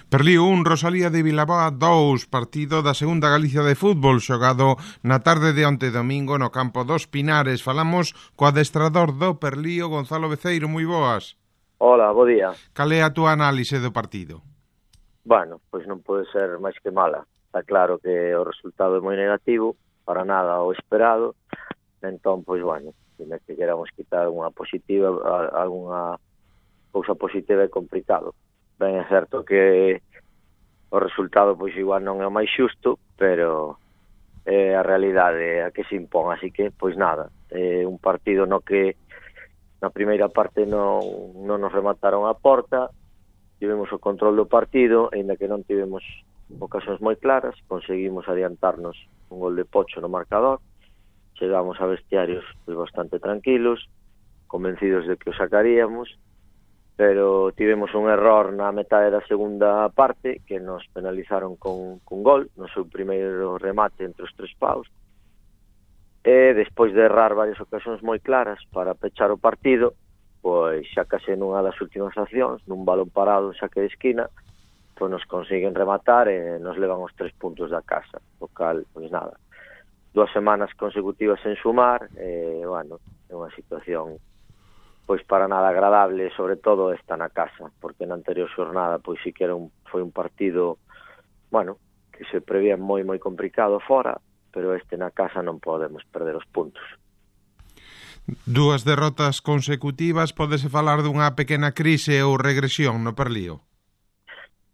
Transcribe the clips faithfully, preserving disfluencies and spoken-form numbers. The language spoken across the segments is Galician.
Perlío un, Rosalía de Vilaboa dous, partido da segunda Galicia de fútbol xogado na tarde de onte domingo no campo dos Pinares. Falamos co adestrador do Perlío, Gonzalo Beceiro. Moi boas. Hola, bo día. Cal é a túa análise do partido? Bueno, pois non pode ser máis que mala. Está claro que o resultado é moi negativo, para nada o esperado. Entón, pois, bueno, se que queramos quitar unha positiva, algunha cousa positiva é complicado. Ben, é certo que o resultado, pois, igual non é o máis xusto, pero é a realidade a que se impón. Así que, pois, nada, é un partido no que na primeira parte non, non nos remataron a porta, tivemos o control do partido, aínda que non tivemos ocasións moi claras, conseguimos adiantarnos un gol de Pocho no marcador, chegamos a vestiarios pois, bastante tranquilos, convencidos de que o sacaríamos, pero tivemos un error na metade da segunda parte que nos penalizaron con, con gol no seu primeiro remate entre os tres paus, e despois de errar varias ocasións moi claras para pechar o partido, pois xa case nunha das últimas accións, nun balón parado, saque de esquina, pois nos consiguen rematar e nos levan os tres puntos da casa, o cal, pois nada, dúas semanas consecutivas en sumar, e, bueno, é unha situación pois para nada agradable, sobre todo esta na casa, porque na anterior xornada pois sí que era un, foi un partido, bueno, que se prevía moi moi complicado fora, pero este na casa non podemos perder os puntos. Dúas derrotas consecutivas, podese falar dunha pequena crise ou regresión no Perlío?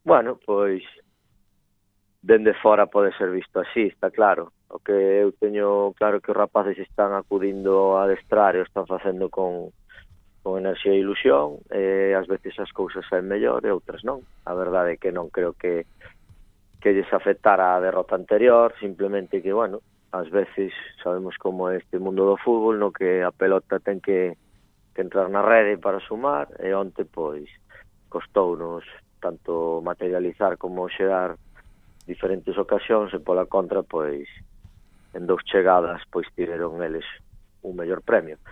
Bueno, pois dende fora pode ser visto así, está claro. O que eu teño claro que os rapaces están acudindo a adestrar e o están facendo con con enerxía e ilusión, e ás veces as cousas saen mellor e outras non. A verdade é que non creo que que lles afectara a derrota anterior, simplemente que, bueno, ás veces sabemos como é este mundo do fútbol, no que a pelota ten que, que entrar na rede para sumar, e onte, pois, costounos tanto materializar como xerar diferentes ocasións, e pola contra, pois, en dous chegadas, pois, tiveron eles un mellor premio.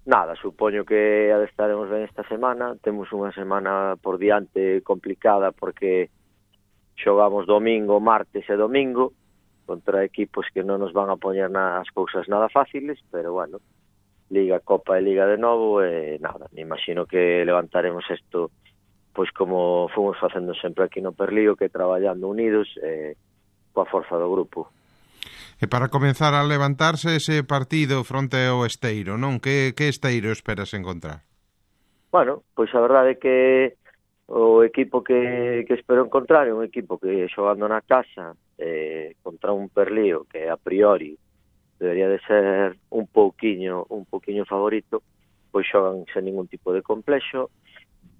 Nada, supoño que adestaremos ben esta semana, temos unha semana por diante complicada porque xogamos domingo, martes e domingo contra equipos que non nos van a poñer nas cousas nada fáciles, pero bueno, Liga, Copa e Liga de novo, e nada, me imagino que levantaremos isto pois como fomos facendo sempre aquí no Perlío, que traballando unidos e coa forza do grupo. E para comenzar a levantarse ese partido fronte ao Esteiro, non? Que, que Esteiro esperas encontrar? Bueno, pois a verdade é que o equipo que, que espero encontrar é un equipo que xogando na casa eh, contra un Perlío que a priori debería de ser un pouquiño un pouquiño favorito, pois xogan sen ningún tipo de complexo,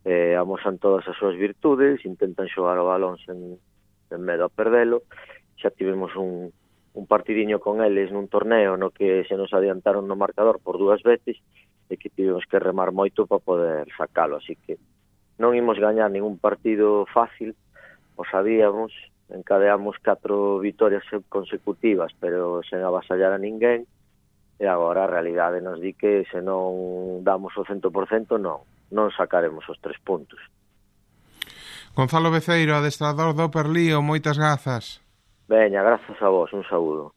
eh, amosan todas as súas virtudes, intentan xogar o balón sen, sen medo a perdelo. Xa tivemos un un partidiño con eles nun torneo no que se nos adiantaron no marcador por dúas veces e que tivemos que remar moito para poder sacalo, así que non imos gañar ningún partido fácil, o sabíamos, encadeamos catro vitorias consecutivas, pero sen avasallar a ninguén, e agora a realidade nos di que se non damos o cento por cento non, non sacaremos os tres puntos. Gonzalo Beceiro, adestrador do Perlío, moitas grazas. Veña, grazas a vos, un saúdo.